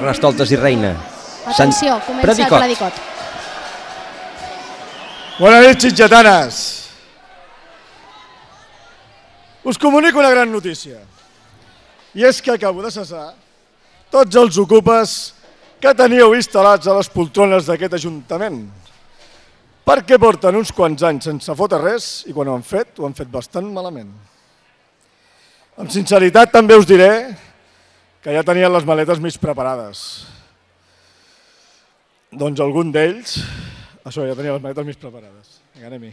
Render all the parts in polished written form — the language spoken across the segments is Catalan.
Carnestoltes i Reina. Atenció, comença el Predicot. Bona nit, sitgetanes. Us comunico una gran notícia. I és que acabo de cessar tots els ocupes que teníeu instal·lats a les poltrones d'aquest Ajuntament. Perquè porten uns quants anys sense fotre res i quan ho han fet bastant malament. Amb sinceritat també us diré que ja tenien les maletes mig preparades. Doncs algun d'ells, això, ja tenia les maletes mig preparades. Vinga, anem-hi.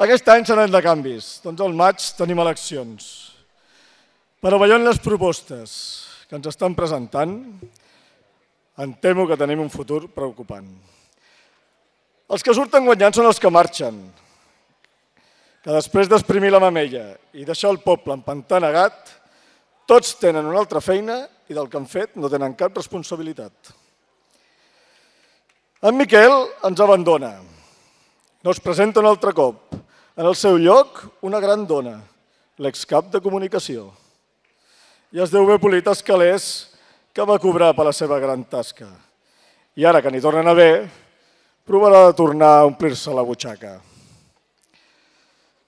Aquest any seran de canvis. Doncs al maig tenim eleccions. Però veient les propostes que ens estan presentant, em temo que tenim un futur preocupant. Els que surten guanyant són els que marxen, que després d'esprimir la mamella i deixar el poble empantanegat, tots tenen una altra feina i del que han fet no tenen cap responsabilitat. En Miquel ens abandona. No es presenta un altre cop. En el seu lloc, una gran dona, l'excap de comunicació. I es deu haver polit els calés que va cobrar per la seva gran tasca. I ara que n'hi tornen a haver, provarà de tornar a omplir-se la butxaca.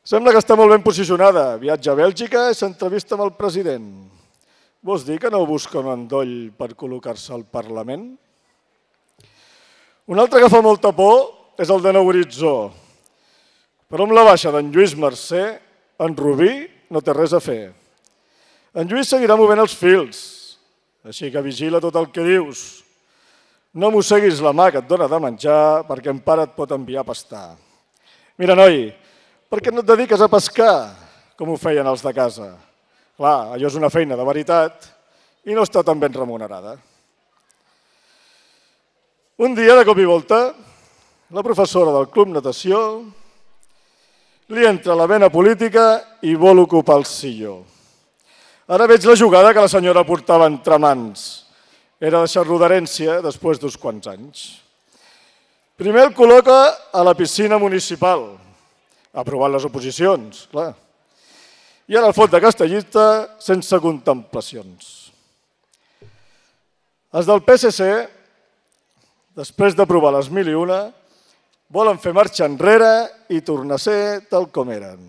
Sembla que està molt ben posicionada. Viatja a Bèlgica i s'entrevista amb el president. Vols dir que no busca un endoll per col·locar-se al Parlament? Un altre que fa molta por és el de Nou Horitzó. Però amb la baixa d'en Lluís Mercè, en Rubí no té res a fer. En Lluís seguirà movent els fils, així que vigila tot el que dius. No mosseguis la mà que et dona de menjar perquè en pare et pot enviar a pastar. Mira, noi, per què no et dediques a pescar, com ho feien els de casa? Clar, allò és una feina de veritat i no està tan ben remunerada. Un dia, de cop i volta, la professora del Club Natació li entra la vena política i vol ocupar el silló. Ara veig la jugada que la senyora portava entre mans. Era deixar-lo d'herència després d'uns quants anys. Primer el col·loca a la piscina municipal, aprovant les oposicions, clar. I ara el fot de castellista sense contemplacions. Els del PSC, després d'aprovar les 1001, volen fer marxa enrere i tornar a ser tal com eren.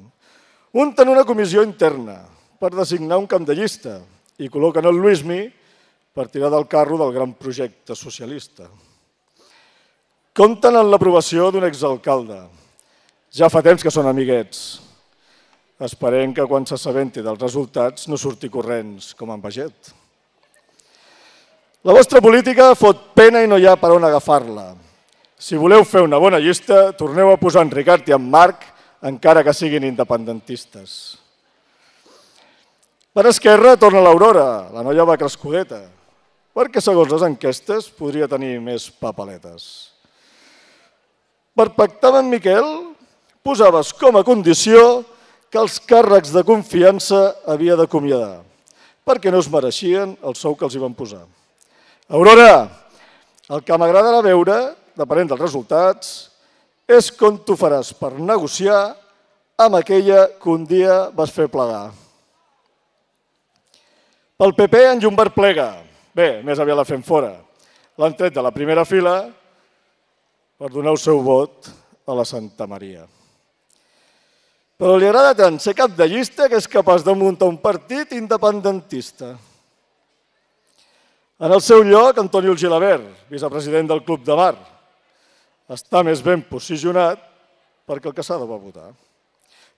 Unten una comissió interna per designar un cap de llista i col·loquen el Luismi per tirar del carro del gran projecte socialista. Compten amb l'aprovació d'un exalcalde. Ja fa temps que són amiguets. Esperem que quan s'assabenti dels resultats no surti corrents com en Baget. La vostra política fot pena i no hi ha per on agafar-la. Si voleu fer una bona llista, torneu a posar en Ricard i en Marc, encara que siguin independentistes. Per Esquerra torna l'Aurora, la noia va crescudeta, perquè segons les enquestes podria tenir més papaletes. Per pactar amb en Miquel, posaves com a condició que els càrrecs de confiança havia d'acomiadar, perquè no es mereixien el sou que els hi van posar. Aurora, el que m'agradarà veure, depenent dels resultats, és com tu faràs per negociar amb aquella que un dia vas fer plegar. Pel PP, en Llombart plega. Bé, més aviat la fem fora. L'han tret de la primera fila per donar el seu vot a la Santa Maria. Però li agrada tant ser cap de llista que és capaç de muntar un partit independentista. En el seu lloc, Antonio Gilabert, vicepresident del Club de Mar, està més ben posicionat perquè el Casado va votar.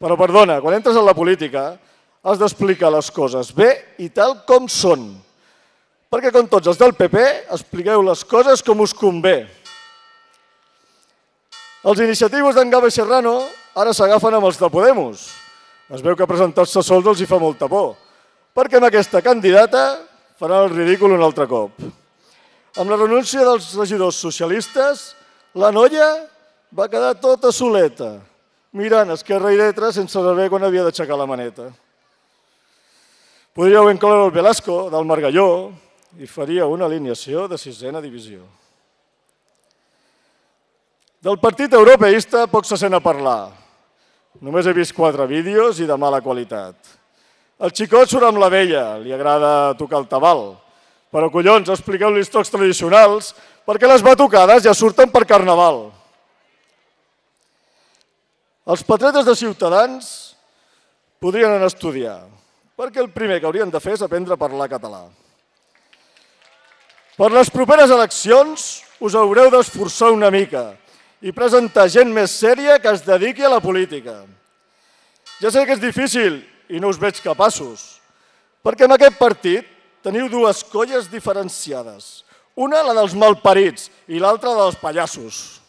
Però perdona, quan entres en la política has d'explicar les coses bé i tal com són. Perquè com tots els del PP expliqueu les coses com us convé. Els iniciatius d'en Gava i Serrano ara s'agafen amb els de Podemos. Es veu que presentar-se sols els hi fa molta por, perquè amb aquesta candidata faran el ridícul un altre cop. Amb la renúncia dels regidors socialistes, la noia va quedar tota soleta, mirant esquerra i dreta sense saber quan havia d'aixecar la maneta. Podríeu incloure el Velasco del Margalló i faria una alineació de 6a divisió. Del partit europeista poc se sent a parlar. Només he vist 4 vídeos i de mala qualitat. El xicot surt amb la vella, li agrada tocar el tabal, Però collons, expliqueu-li els tocs tradicionals perquè les batucades ja surten per Carnaval. Els patriotes de Ciutadans podrien anar a estudiar, perquè el primer que haurien de fer és aprendre a parlar català. Per les properes eleccions us haureu d'esforçar una mica i presentar gent més sèria que es dediqui a la política. Ja sé que és difícil i no us veig capaços, perquè en aquest partit teniu dues colles diferenciades. Una, la dels malparits, i l'altra, la dels pallassos.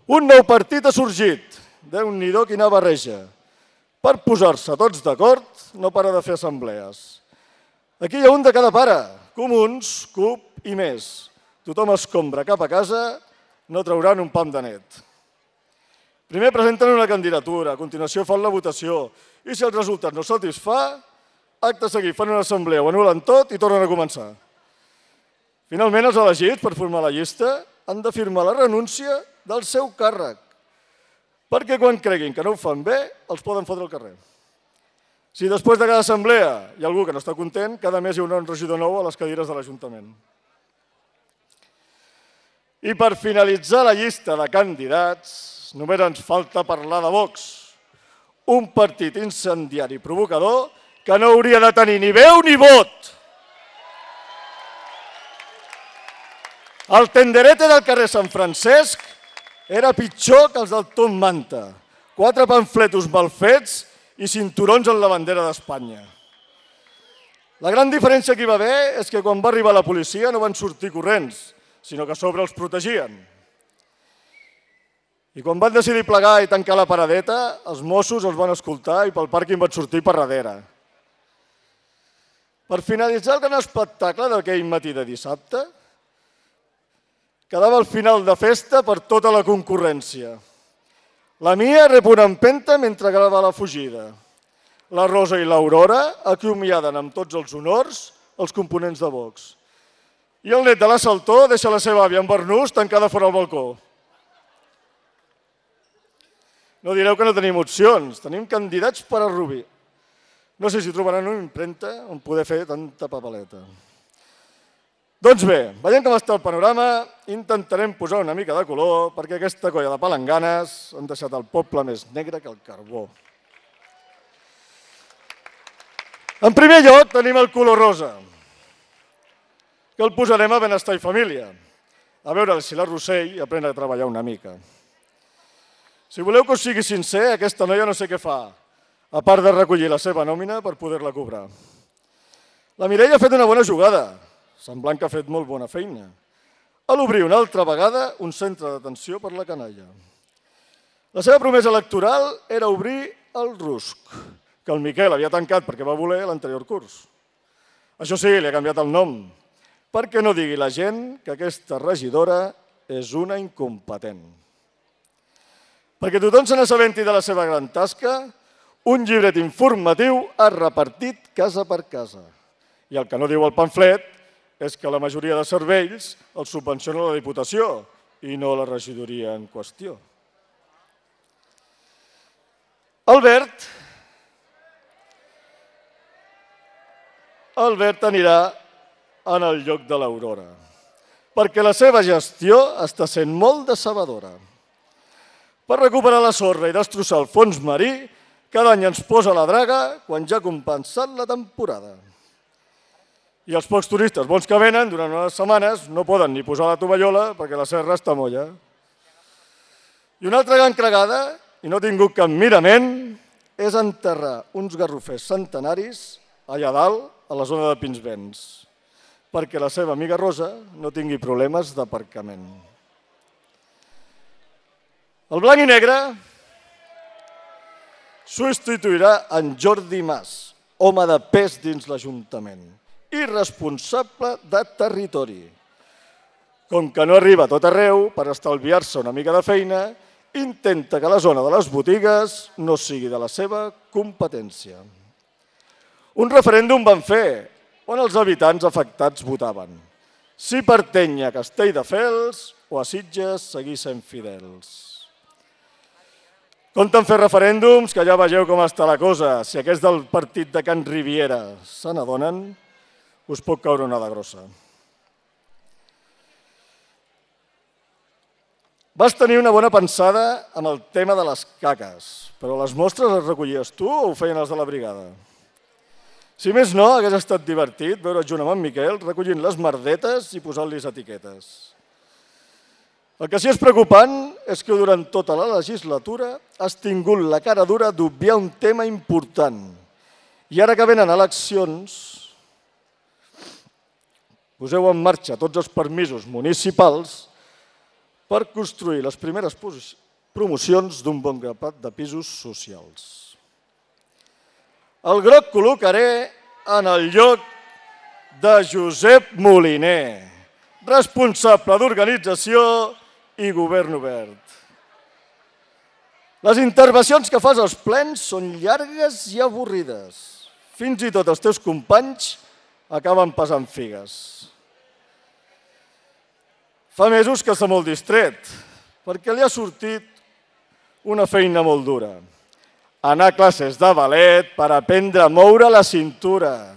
Un nou partit ha sorgit, Déu-n'hi-do quina barreja. Per posar-se tots d'acord, no para de fer assemblees. Aquí hi ha un de cada pare, Comuns, CUP i més. Tothom escombra cap a casa, no trauran un pam de net. Primer presenten una candidatura, a continuació fan la votació, i si el resultat no satisfà, acte seguit fan una assemblea, ho anulen tot i tornen a començar. Finalment, els elegits per formar la llista han de firmar la renúncia del seu càrrec, perquè quan creguin que no ho fan bé, els poden fotre al carrer. Si després de cada assemblea hi ha algú que no està content, cada mes hi haurà un regidor nou a les cadires de l'Ajuntament. I per finalitzar la llista de candidats, només ens falta parlar de Vox, un partit incendiari i provocador que no hauria de tenir ni veu ni vot. El tenderete del carrer Sant Francesc era pitjor que els del Tom Manta. 4 pamfletos mal fets i cinturons en la bandera d'Espanya. La gran diferència que hi va haver és que quan va arribar la policia no van sortir corrents, sinó que a sobre els protegien. I quan van decidir plegar i tancar la paradeta, els Mossos els van escoltar i pel pàrquing van sortir per darrere. Per finalitzar el gran espectacle d'aquell matí de dissabte, quedava el final de festa per tota la concurrència. La Mia rep una empenta mentre grava la fugida. La Rosa i l'Aurora acomiaden amb tots els honors els components de Vox. I el net de l'assaltó deixa la seva àvia en barnús tancada fora al balcó. No direu que no tenim opcions, tenim candidats per a Rubí. No sé si trobaran una impremta on poder fer tanta papeleta. Doncs bé, veient com està el panorama, intentarem posar una mica de color perquè aquesta colla de palanganes han deixat el poble més negre que el carbó. En primer lloc tenim el color rosa, que el posarem a Benestar i Família, a veure si la Rossell aprèn a treballar una mica. Si voleu que us sigui sincer, aquesta noia no sé què fa, a part de recollir la seva nòmina per poder-la cobrar. La Mireia ha fet una bona jugada, semblant que ha fet molt bona feina, a l'obrir una altra vegada un centre d'atenció per la canalla. La seva promesa electoral era obrir el RUSC, que el Miquel havia tancat perquè va voler l'anterior curs. Això sí, li ha canviat el nom, perquè no digui la gent que aquesta regidora és una incompetent. Perquè tothom se n'assabenti de la seva gran tasca, un llibret informatiu ha repartit casa per casa. I el que no diu el pamflet és que la majoria de serveis els subvenciona la Diputació i no la regidoria en qüestió. Albert anirà en el lloc de l'Aurora, perquè la seva gestió està sent molt decebedora. Per recuperar la sorra i destrossar el fons marí, cada any ens posa la draga quan ja ha compensat la temporada. I els pocs turistes bons que venen durant unes setmanes no poden ni posar la tovallola perquè la serra està molla. I una altra gran cregada, i no ha tingut cap mirament, és enterrar uns garrofers centenaris allà dalt, a la zona de Pinsbens, perquè la seva amiga Rosa no tingui problemes d'aparcament. El blanc i negre substituirà en Jordi Mas, home de pes dins l'Ajuntament i responsable de territori. Com que no arriba a tot arreu, per estalviar-se una mica de feina, intenta que la zona de les botigues no sigui de la seva competència. Un referèndum van fer, on els habitants afectats votaven si pertany a Castelldefels o a Sitges seguir sent fidels. Compten fer referèndums, que ja vegeu com està la cosa. Si aquests del partit de Can Riviera se n'adonen, us pot caure una de grossa. Vas tenir una bona pensada amb el tema de les caques, però les mostres les recollies tu o ho feien els de la brigada? Si més no, hagués estat divertit veure junt amb en Miquel recollint les merdetes i posant-los etiquetes. El que sí és preocupant és que durant tota la legislatura has tingut la cara dura d'obviar un tema important. I ara que venen eleccions, poseu en marxa tots els permisos municipals per construir les primeres promocions d'un bon grapat de pisos socials. El groc col·locaré en el lloc de Josep Moliner, responsable d'organització i govern obert. Les intervencions que fas als plens són llargues i avorrides. Fins i tot els teus companys acaben pesant figues. Fa mesos que està molt distret, perquè li ha sortit una feina molt dura. Anar a classes de ballet per aprendre a moure la cintura.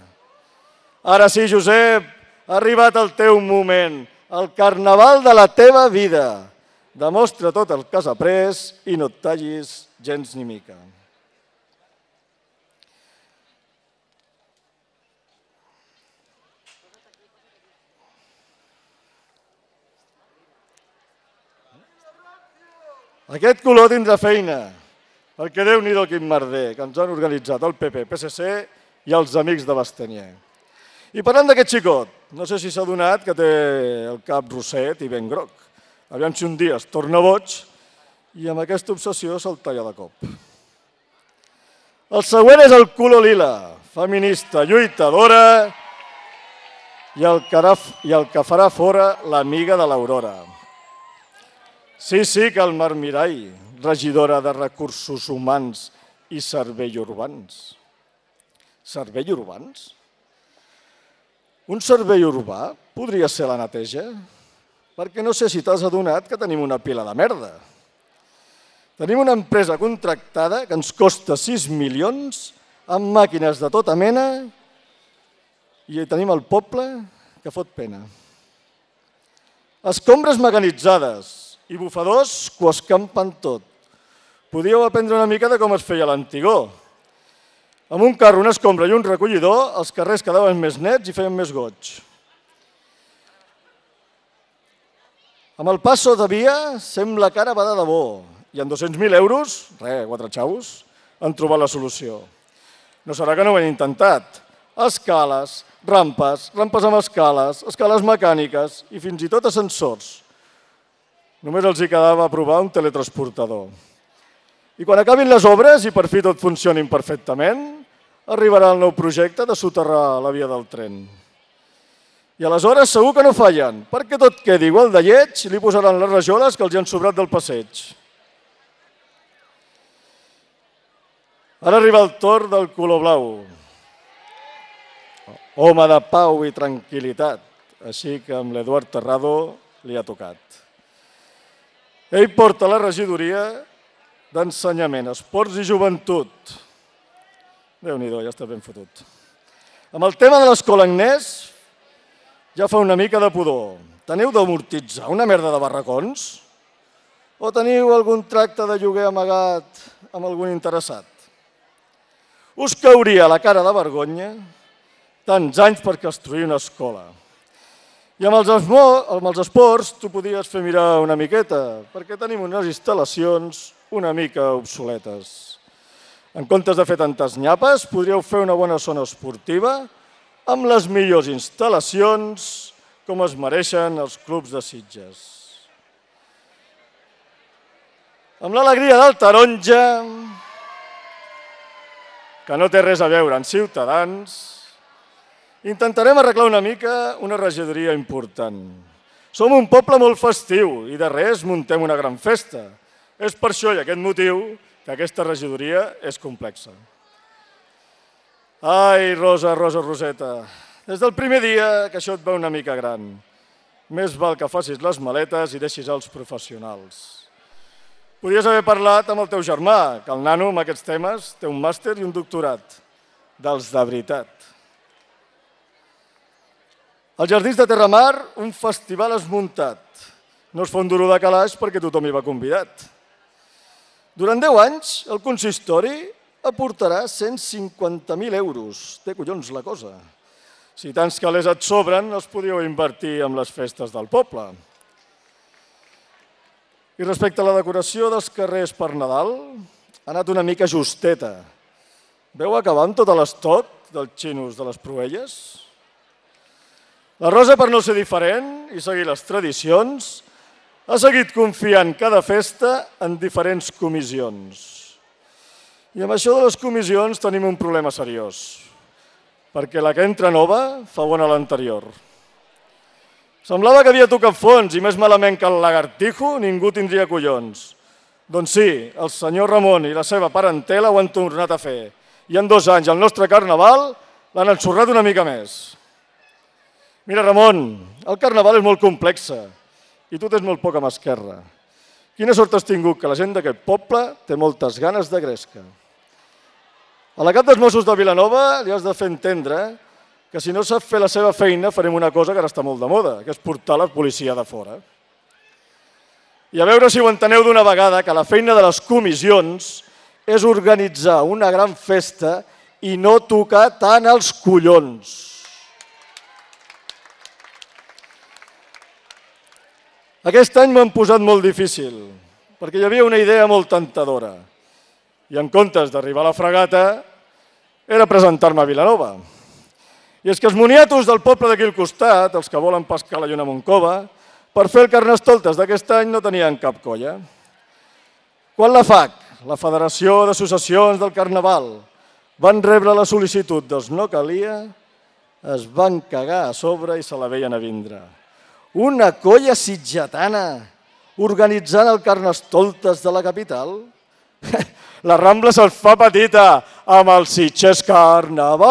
Ara sí, Josep, ha arribat el teu moment, el carnaval de la teva vida. Demostra tot el que has après i no et tallis gens ni mica. Aquest color tindrà feina, perquè Déu-n'hi-do quin merder que ens han organitzat el PP, PSC i els amics de Bastanier. I parlant d'aquest xicot, no sé si s'ha adonat que té el cap rosset i ben groc. Aviam si un dia es torna boig i amb aquesta obsessió se'l talla de cop. El següent és el color lila, feminista, lluitadora i el que farà fora l'amiga de l'Aurora. Sí, que el Mar Mirall, regidora de Recursos Humans i Serveis Urbans. Serveis urbans? Un servei urbà podria ser la neteja? Perquè no sé si t'has adonat que tenim una pila de merda. Tenim una empresa contractada que ens costa 6 milions amb màquines de tota mena i tenim el poble que fot pena. Escombres mecanitzades i bufadors que ho escampen tot. Podíeu aprendre una mica de com es feia l'antigó. Amb un carro, una escombra i un recollidor, els carrers quedaven més nets i feien més goig. Amb el passo de via sembla que ara va de debò i amb 200.000 euros, 4 xavos, han trobat la solució. No serà que no ho han intentat. Escales, rampes amb escales, escales mecàniques i fins i tot ascensors. Només els hi quedava provar un teletransportador. I quan acabin les obres i per fi tot funcionin perfectament, arribarà el nou projecte de soterrar la via del tren. I aleshores segur que no fallen, perquè tot quedi igual de lleig i li posaran les rajoles que els hi han sobrat del passeig. Ara arriba el torn del color blau. Home de pau i tranquil·litat, així que amb l'Eduard Terrado li ha tocat. Ell porta la regidoria d'Ensenyament, Esports i Joventut. Déu-n'hi-do, ja està ben fotut. Amb el tema de l'escola Agnès ja fa una mica de pudor. Teniu d'amortitzar una merda de barracons? O teniu algun tracte de lloguer amagat amb algun interessat? Us cauria la cara de vergonya tants anys per construir una escola. I amb els esports t'ho podies fer mirar una miqueta, perquè tenim unes instal·lacions una mica obsoletes. En comptes de fer tantes nyapes, podríeu fer una bona zona esportiva amb les millors instal·lacions com es mereixen els clubs de Sitges. Amb l'alegria del taronja, que no té res a veure amb Ciutadans, intentarem arreglar una mica una regidoria important. Som un poble molt festiu i de res muntem una gran festa. És per això i aquest motiu que aquesta regidoria és complexa. Ai, Rosa, Roseta, des del primer dia que això et va una mica gran. Més val que facis les maletes i deixis els professionals. Podries haver parlat amb el teu germà, que el nano amb aquests temes té un màster i un doctorat. Dels de veritat. Als Jardins de Terramar, un festival esmuntat. No es fa un duro de calaix perquè tothom hi va convidat. Durant 10 anys, el consistori aportarà 150.000 euros. Té collons la cosa. Si tants calés et sobren, els podíeu invertir en les festes del poble. I respecte a la decoració dels carrers per Nadal, ha anat una mica justeta. Veu acabar amb tot l'estot dels xinos de les Proelles? La Rosa, per no ser diferent i seguir les tradicions, ha seguit confiant cada festa en diferents comissions. I amb això de les comissions tenim un problema seriós, perquè la que entra nova fa bona l'anterior. Semblava que havia tocat fons i més malament que el lagartijo ningú tindria collons. Doncs sí, el senyor Ramon i la seva parentela ho han tornat a fer. I en 2 anys el nostre carnaval l'han ensorrat una mica més. Mira, Ramon, el carnaval és molt complexa i tu tens molt poca mà esquerra. Quina sort has tingut que la gent d'aquest poble té moltes ganes de gresca. A la cap dels Mossos de Vilanova li has de fer entendre que si no sap fer la seva feina farem una cosa que ara està molt de moda, que és portar la policia de fora. I a veure si ho enteneu d'una vegada, que la feina de les comissions és organitzar una gran festa i no tocar tant els collons. Aquest any m'han posat molt difícil, perquè hi havia una idea molt tentadora. I en comptes d'arribar a la fregata, era presentar-me a Vilanova. I és que els moniatos del poble d'aquí al costat, els que volen pescar la lluna Montcova, per fer el Carnestoltes d'aquest any no tenien cap colla. Quan la FAC, la Federació d'Associacions del Carnaval, van rebre la sol·licitud dels no calia, es van cagar a sobre i se la veien a vindre. Una colla sitgetana organitzant el Carnestoltes de la capital? La Rambla se'l fa petita amb el Sitges Carnaval.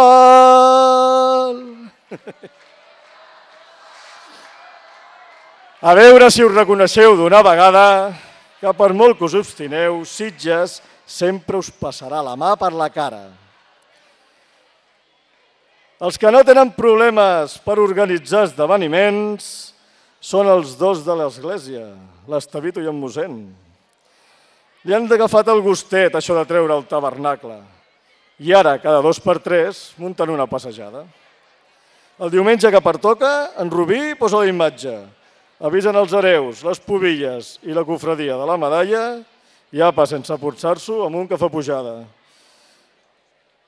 A veure si us reconeixeu d'una vegada que per molt que us obstineu, Sitges sempre us passarà la mà per la cara. Els que no tenen problemes per organitzar esdeveniments són els 2 de l'església, l'Estevito i en mossèn. Li han agafat el gustet, això de treure el tabernacle. I ara, cada 2 per 3, munten una passejada. El diumenge que pertoca, en Rubí posa la imatge. Avisen els hereus, les pobilles i la cofradia de la medalla i apa, sense porçar-s'ho, amunt que fa pujada.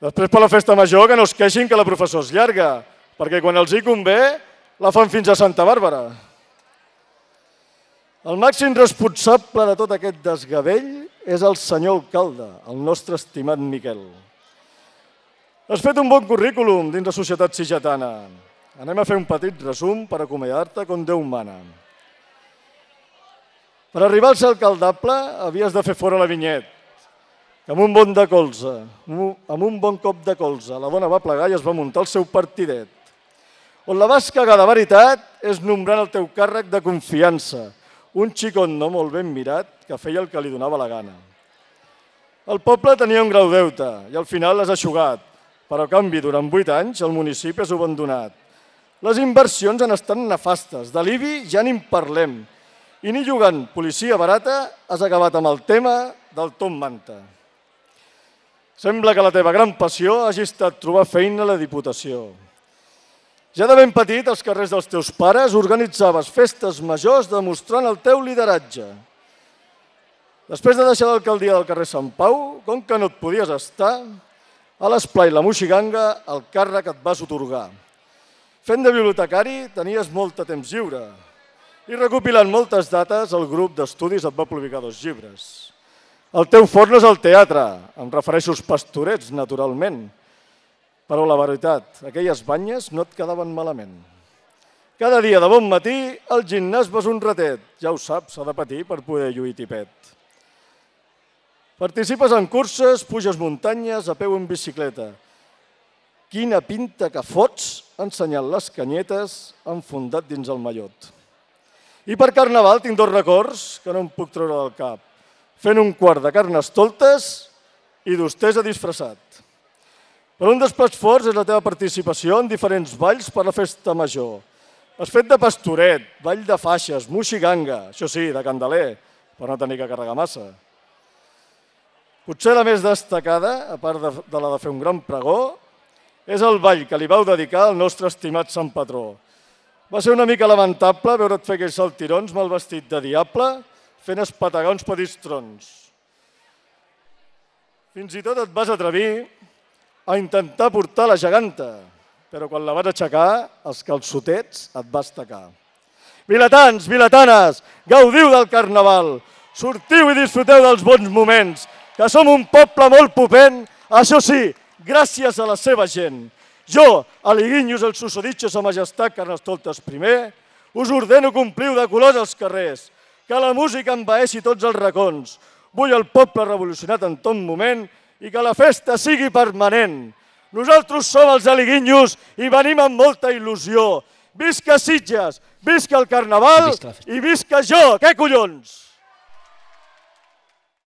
Després per la festa major que no es queixin que la professó és llarga, perquè quan els hi convé la fan fins a Santa Bàrbara. El màxim responsable de tot aquest desgavell és el senyor alcalde, el nostre estimat Miquel. Has fet un bon currículum dins la societat sitgetana. Anem a fer un petit resum per acomiadar-te com Déu mana. Per arribar al ser alcaldable havies de fer fora la Vinyet, que amb un bon cop de colze la dona va plegar i es va muntar el seu partidet. On la vas cagar de veritat és nombrant el teu càrrec de confiança, un xicot no molt ben mirat que feia el que li donava la gana. El poble tenia un grau deute i al final l'has eixugat, però a canvi durant 8 anys el municipi és abandonat. Les inversions han estat nefastes, de l'IBI ja ni en parlem, i ni jugant policia barata has acabat amb el tema del Tom Manta. Sembla que la teva gran passió hagi estat trobar feina a la Diputació. Ja de ben petit, als carrers dels teus pares, organitzaves festes majors demostrant el teu lideratge. Després de deixar l'alcaldia del carrer Sant Pau, com que no et podies estar, a l'esplai La Moixiganga el càrrec et vas atorgar. Fent de bibliotecari tenies molt de temps lliure i recopilant moltes dates el grup d'estudis et va publicar 2 llibres. El teu fort no és el teatre, em refereixo als pastorets, naturalment. Però la veritat, aquelles banyes no et quedaven malament. Cada dia de bon matí al gimnàs vas un ratet. Ja ho saps, s'ha de patir per poder lluir tipet. Participes en curses, puges muntanyes, a peu en bicicleta. Quina pinta que fots ensenyant les canyetes enfondat dins el mallot. I per Carnaval tinc 2 records que no em puc treure del cap. Fent un quart de Carnestoltes i d'hostessa disfressat. Però un dels plats forts és la teva participació en diferents balls per la festa major. has fet de pastoret, ball de faixes, moixiganga, això sí, de candeler, per no tenir que carregar massa. Potser la més destacada, a part de la de fer un gran pregó, és el ball que li vau dedicar al nostre estimat Sant Patró. Va ser una mica lamentable veure't fer aquells saltirons mal vestit de diable, fent espetegar uns petits trons. Fins i tot et vas atrevir a intentar portar la geganta, però quan la vas aixecar, els calçotets et vas tacar. Vilatans, vilatanes, gaudiu del Carnaval, sortiu i disfruteu dels bons moments, que som un poble molt popent, això sí, gràcies a la seva gent. Jo, Aliguinhos, el susodicho sa majestat Carnestoltes I, us ordeno que ompliu de colors els carrers, que la música envaeixi tots els racons. Vull el poble revolucionat en tot moment i que la festa sigui permanent. Nosaltres som els Aliguinhos i venim amb molta il·lusió. Visca Sitges, visca el Carnaval i visca jo, què collons!